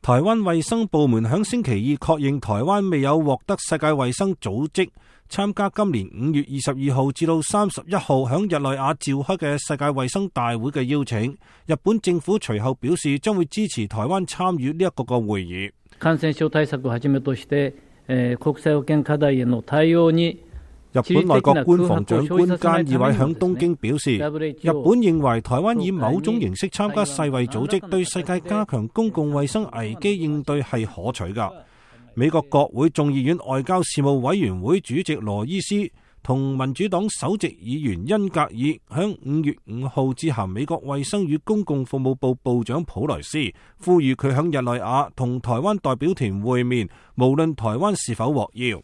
台灣衛生部門響星期二確認，台灣未有獲得世界衛生組織參加今年5月22號至到31號響日內瓦召開嘅世界衛生大會嘅邀請。日本政府隨後表示將會支持台灣參與呢一個會議。感染症対策をはじめとして國際保健課題への対応に日本內閣官房長官菅義偉響東京表示，日本認為台灣以某種形式參加世衛組織，對世界加強公共衛生危機應對係可取㗎。美國國會眾議院外交事務委員會主席羅伊斯同民主黨首席議員恩格爾響5月5號致函美國衛生與公共服務部部長普萊斯，呼籲佢響日內瓦同台灣代表團會面，無論台灣是否獲邀。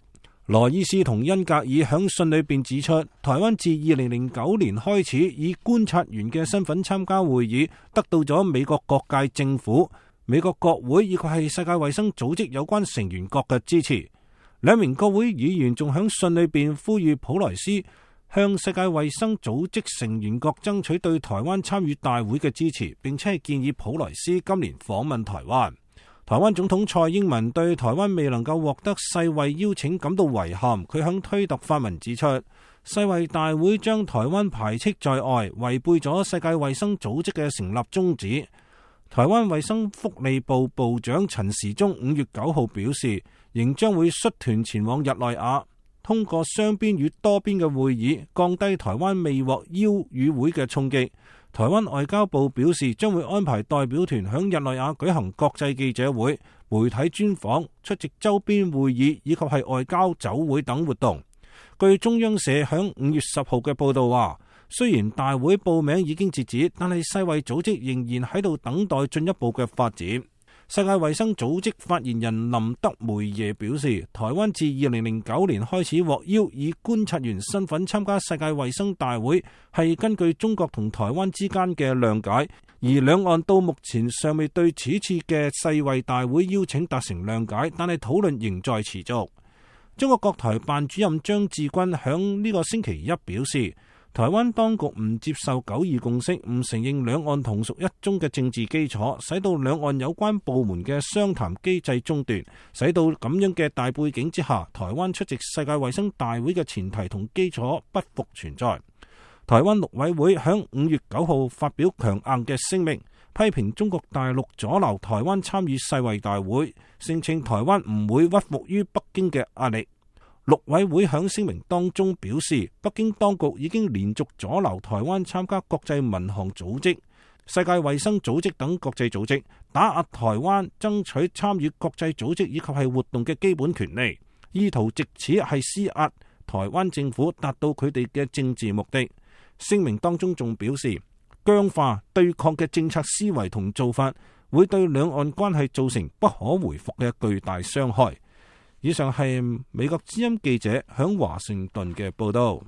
羅伊斯同恩格爾響信裏邊指出，台灣自2009年開始以觀察員嘅身份參加會議，得到咗美國各界政府、美國國會以及係世界衛生組織有關成員國嘅支持。兩名國會議員仲響信裏邊呼籲普萊斯向世界衛生組織成員國爭取對台灣參與大會嘅支持，並且係建議普萊斯今年訪問台灣。台灣總統蔡英文對台灣未能夠獲得世衛邀請感到遺憾，佢響推特發文指出，世衛大會將台灣排斥在外，違背咗世界衛生組織嘅成立宗旨。台灣衛生福利部部長陳時中5月9號表示，仍將會率團前往日內瓦，通過雙邊與多邊嘅會議，降低台灣未獲邀與會嘅衝擊。台灣外交部表示，將會安排代表團響日內瓦舉行國際記者會、媒體專訪、出席周邊會議以及係外交酒會等活動。據中央社響5月10號嘅報道話，雖然大會報名已經截止，但係世衛組織仍然喺度等待進一步嘅發展。世界衛生組織發言人林德梅耶表示，台灣自2009年開始獲邀以觀察員身份參加世界衛生大會，係根據中國同台灣之間嘅諒解，而兩岸到目前尚未對此次嘅世衛大會邀請達成諒解，但係討論仍在持續。中國國台辦主任張志軍響呢個星期一表示，台灣當局唔接受9·2共識，唔承認兩岸同屬一中嘅政治基礎，使到兩岸有關部門嘅商談機制中斷，使到咁樣嘅大背景之下，台灣出席世界衛生大會嘅前提同基礎不復存在。台灣陸委會響5月9號發表強硬嘅聲明，批評中國大陸阻撓台灣參與世衛大會，聲稱台灣唔會屈服於北京嘅壓力。陸委會響聲明當中表示，北京當局已經連續阻撓台灣參加國際民航組織、世界衛生組織等國際組織，打壓台灣爭取參與國際組織以及係活動嘅基本權利，意圖藉此係施壓台灣政府，達到佢哋嘅政治目的。聲明當中仲表示，僵化對抗嘅政策思維同做法，會對兩岸關係造成不可回復嘅巨大傷害。以上係美國之音記者響華盛頓嘅報道。